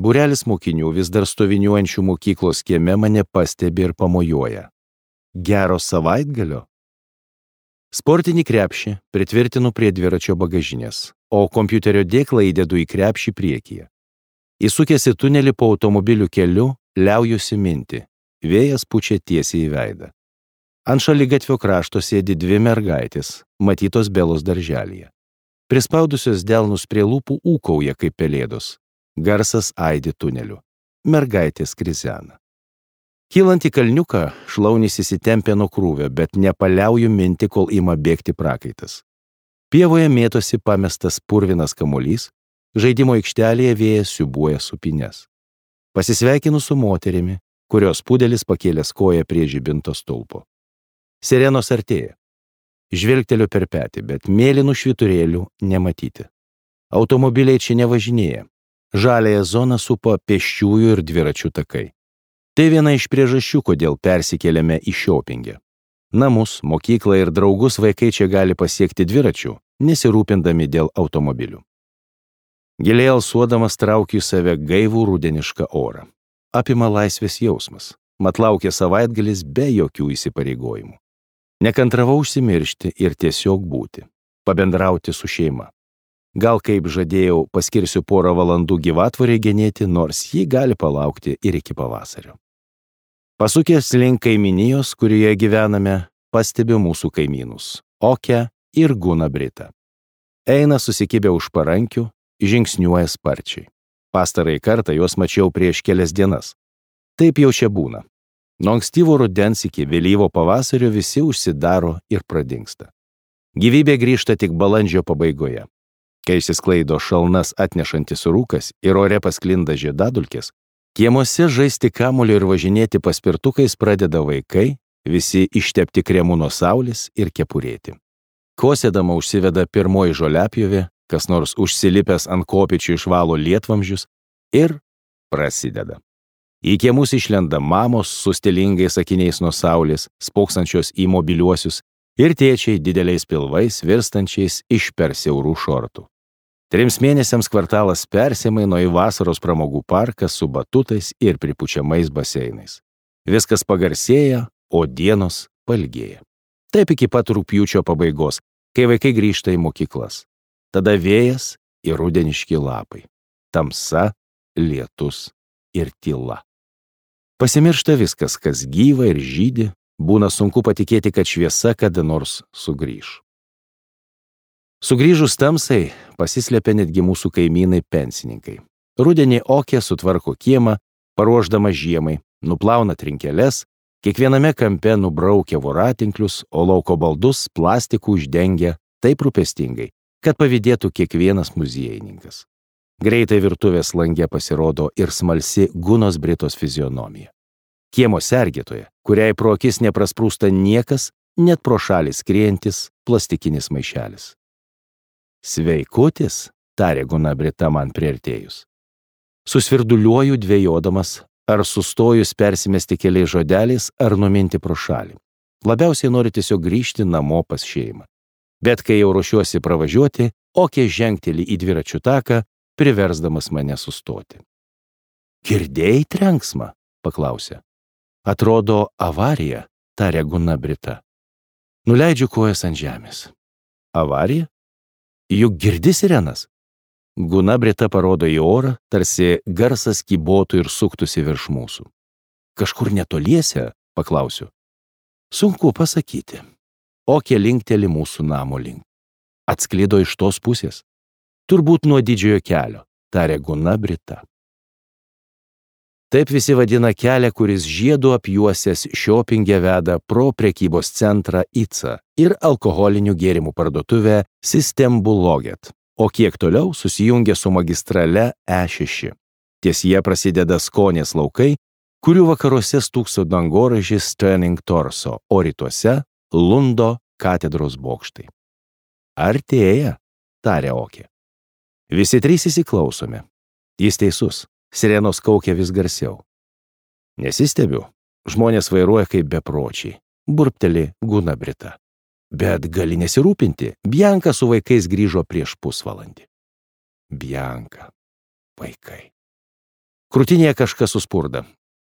Būrelis mokinių vis dar stoviniuojančių mokyklos kieme mane pastebi ir pamojuoja. Gero savaitgalio? Sportinį krepšį pritvirtinu prie dviračio bagažinės, o kompiuterio dėklą įdedu į krepšį priekyje. Įsukęs į tunelį po automobilių keliu, liaujusi minti. Vėjas pučia tiesiai į veidą. Ant šaligatvio krašto sėdi dvi mergaitės, matytos Belos darželyje. Prispaudusios delnus prie lūpų ūkauja kaip pelėdos. Garsas aidi tuneliu. Mergaitės krizena. Kylant į kalniuką, šlaunys įsitempė nuo krūvio, bet nepaliauju minti, kol ima bėgti prakaitas. Pievoje mėtosi pamestas purvinas kamuolys, žaidimo aikštelėje vėjas siūbuoja supines. Pasisveikinu su moterimi, kurios pudelis pakėlęs koją prie žibinto stulpo. Sirenos artėja. Žvilgteliu per petį, bet mėlynų švyturėlių nematyti. Automobiliai čia nevažinėja. Žaliąją zoną supa pėsčiųjų ir dviračių takai. Tai viena iš priežasčių, kodėl persikėlėme į Šiopingę. Namus, mokyklą ir draugus vaikai čia gali pasiekti dviračių, nesirūpindami dėl automobilių. Giliai alsuodamas traukiu į save gaivų rudenišką orą. Apima laisvės jausmas, mat laukia savaitgalis be jokių įsipareigojimų. Nekantravau užsimiršti ir tiesiog būti, pabendrauti su šeima. Gal, kaip žadėjau, paskirsiu porą valandų gyvatvorei genėti, nors ji gali palaukti ir iki pavasario. Pasukęs link kaiminijos, kurioje gyvename, pastebiu mūsų kaimynus – Okę ir Guną Britą. Eina susikibę už parankių, žingsniuoja sparčiai. Pastarąjį kartą juos mačiau prieš kelias dienas. Taip jau čia būna. Nuo ankstyvo rudens iki vėlyvo pavasario visi užsidaro ir pradingsta. Gyvybė grįžta tik balandžio pabaigoje. Kai išsisklaido šalnas atnešantis rūkas ir ore pasklinda žiedadulkės, kiemuose žaisti kamuoliu ir važinėti paspirtukais pradeda vaikai, visi ištepti kremu nuo saulės ir kepurėti. Kosėdama užsiveda pirmoji žoliapjovė, kas nors užsilipęs ant kopėčių išvalo lietvamzdžius ir prasideda. Į kiemus išlenda mamos su stilingais akiniais nuo saulės, spoksančios į mobiliuosius, ir tėčiai dideliais pilvais virstančiais iš per siaurų šortų. 3 mėnesiams kvartalas persimaino į vasaros pramogų parką su batutais ir pripučiamais baseinais. Viskas pagarsėja, o dienos pailgėja. Taip iki pat rugpjūčio pabaigos, kai vaikai grįžta į mokyklas. Tada vėjas ir rudeniški lapai. Tamsa, lietus ir tyla. Pasimiršta viskas, kas gyva ir žydi, būna sunku patikėti, kad šviesa kada nors sugrįž. Sugrįžus tamsai, pasislėpia netgi mūsų kaimynai pensininkai. Rudenį Okė sutvarko kiemą, paruošdama žiemai, nuplauna trinkeles, kiekviename kampe nubraukia voratinklius, o lauko baldus plastikų uždengia taip rūpestingai, kad pavydėtų kiekvienas muziejininkas. Greitai virtuvės lange pasirodo ir smalsi Gunos Britos fizionomija. Kiemo sergėtoja, kuriai pro akis neprasprūsta niekas, net pro šalį skriejantis plastikinis maišelis. Sveikutis, tarė Guna Brita man priartėjus. Susvirduliuoju dvejodamas, ar sustojus persimesti keliais žodeliais, ar numinti pro šalį. Labiausiai noriu tiesiog grįžti namo pas šeimą. Bet kai jau ruošiuosi pravažiuoti, Okė žengteli į dviračių taką, priversdamas mane sustoti. Girdėjai trenksmą? Paklausė. Atrodo avarija, tarė Guna Brita. Nuleidžiu kojas ant žemės. Avarija? Juk girdi sirenas? Guna Brita parodo į orą, tarsi garsas kybotų ir suktųsi virš mūsų. Kažkur netoliese? Paklausiu. Sunku pasakyti. Okė linkteli mūsų namo link. Atsklido iš tos pusės. Turbūt nuo didžiojo kelio, tarė Guna Brita. Taip visi vadina kelią, kuris žiedu apjuosęs Šiopingę veda pro prekybos centrą ICA ir alkoholinių gėrimų parduotuvę Systembolaget, o kiek toliau susijungia su magistrale E6. Ties jie prasideda Skonės laukai, kurių vakaruose stūkso dangoraižis Turning Torso, o rytuose Lundo katedros bokštai. Artėja, tarė Okė. Visi 3 įsiklausome. Jis teisus, sirenos kaukia vis garsiau. Nesistebiu, žmonės vairuoja kaip bepročiai, burpteli Guna Brita. Bet gali nesirūpinti, Bianka su vaikais grįžo prieš pusvalandį. Bianka, vaikai. Krūtinėje kažkas suspurda.